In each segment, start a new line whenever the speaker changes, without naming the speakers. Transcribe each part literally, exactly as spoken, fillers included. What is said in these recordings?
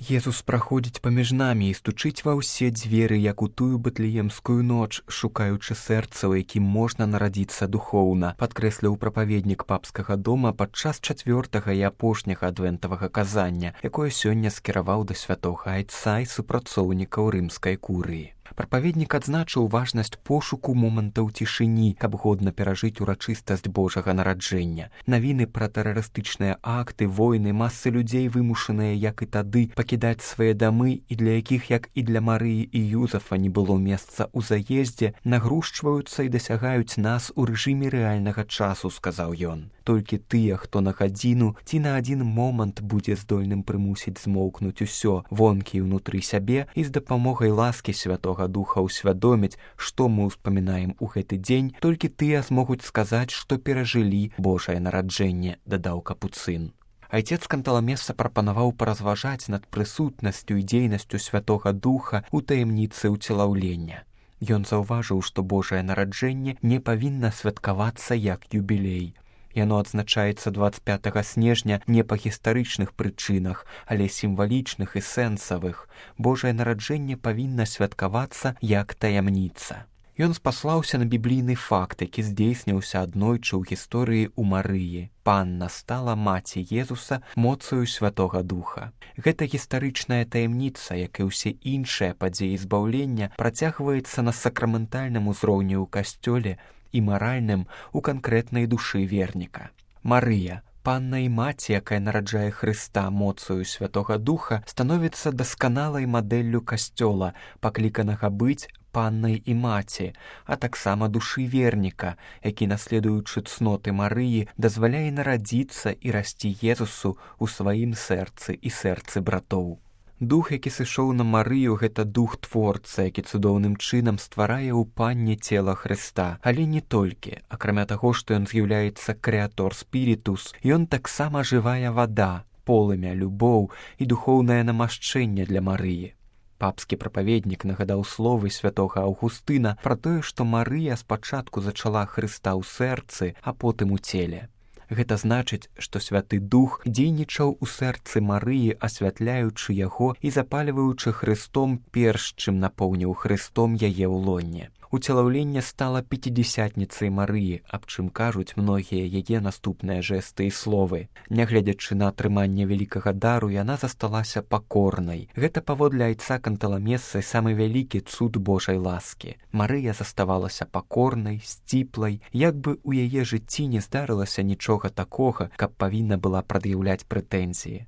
Езус праходзіць паміж намі і стучыць ва ўсе дзверы, як у тую бэтлеемскую ноч, шукаючы сэрца, у якім можна нарадзіцца духоўна, падкрэсліў прапаведнік папскага дома падчас чацвёртага і апошняга адвентавага казання, якое сёння скіраваў да святога айца і супрацоўнікаў рымскай курыі. Прапаведнік адзначыў важнасць пошуку момантаў цішыні, каб годна перажыць урачыстасць Божага нараджэння. Навіны пра тэрарыстычныя акты, войны, масы людзей вымушаныя, як і тады, пакідаць свае дамы і для якіх, як і для Марыі і Юзафа, не было месца ў заездзе, нагрушчваюцца і дасягаюць нас у рэжыме рэальнага часу, сказаў ён. Толькі тыя, хто на гадзіну ці на адзін момант будзе здольным прымусіць змоўкнуць усё, вонкі і ўнутры сябе, і з дапамогай ласкі Святога Духа ўсвядоміць, што мы ўспамінаем у гэты дзень, толькі тыя змогуць сказаць, што перажылі Божае нараджэнне, дадаў капуцын. Айцец Канталамеса прапанаваў паразважаць над прысутнасцю і дзейнасцю Святога Духа ў таямніцы ўцелаўлення. Ён заўважыў, што Божае нараджэнне не павінна святкавацца як юбілей. Яно адзначаецца дваццаць пятага снежня не па гістарычных прычынах, але сімвалічных і сэнсавых. Божае нараджэнне павінна святкавацца як таямніца. Ён спаслаўся на біблійны факт, які здзейсніўся аднойчы ў гісторыі ў Марыі. Панна стала маці Езуса моцаю Святога Духа. Гэта гістарычная таямніца, як і ўсе іншыя падзеі збаўлення, працягваецца на сакраментальным узроўні ў касцёле і маральным у канкрэтнай душы верніка. Марыя, панна і маці, якая нараджае Хрыста моцаю Святога Духа, становіцца дасканалай мадэллю касцёла, пакліканага быць паннай і маці, а таксама душы верніка, які, наследуючы цноты Марыі, дазваляе нарадзіцца і расці Езусу ў сваім сэрцы і сэрцы братоў. Дух, які сышоў на Марыю, гэта дух творца, які цудоўным чынам стварае ў панне цела Хрыста. Але не толькі. Акрамя таго, што ён з'яўляецца крэатор спірітус, ён таксама жывая вада, полымя, любоў і духоўнае намашчэнне для Марыі. Папскі прапаведнік нагадаў словы святога Аўгустына пра тое, што Марыя спачатку зачала Хрыста ў сэрцы, а потым у целе. Гэта значыць, што Святы Дух дзейнічаў у сэрцы Марыі, асвятляючы яго і запальваючы Хрыстом, перш чым напоўніў Хрыстом яе ў лонне. Уцелаўленне стала пяцідзясятніцай Марыі, аб чым кажуць многія яе наступныя жэсты і словы. Нягледзячы на атрыманне вялікага дару, яна засталася пакорнай. Гэта паводле айца Канталамесы самы вялікі цуд Божай ласкі. Марыя заставалася пакорнай, сціплай, як бы ў яе жыцці не здарылася нічога такога, каб павінна была прад'яўляць прэтэнзіі.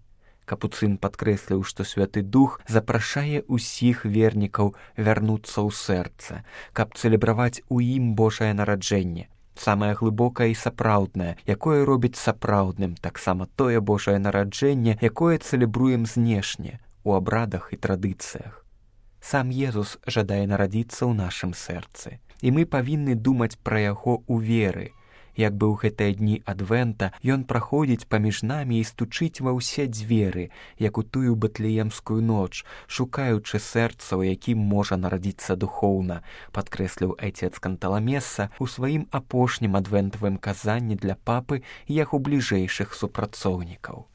Капуцын падкрэсліў, што Святы Дух запрашае ўсіх вернікаў вярнуцца ў сэрца, каб цэлебраваць у ім Божае нараджэнне, самае глыбокае і сапраўднае, якое робіць сапраўдным, таксама тое Божае нараджэнне, якое цэлебруем знешне, у абрадах і традыцыях. Сам Езус жадае нарадзіцца ў нашым сэрцы, і мы павінны думаць пра яго ў веры. Як бы ў гэтыя дні адвента ён праходзіць паміж намі і стучыць ва ўсе дзверы, як у тую бэтлеемскую ноч, шукаючы сэрца, у якім можа нарадзіцца духоўна, падкрэсліў айцец Канталамеса ў сваім апошнім адвентавым казанні для папы і яго бліжэйшых супрацоўнікаў.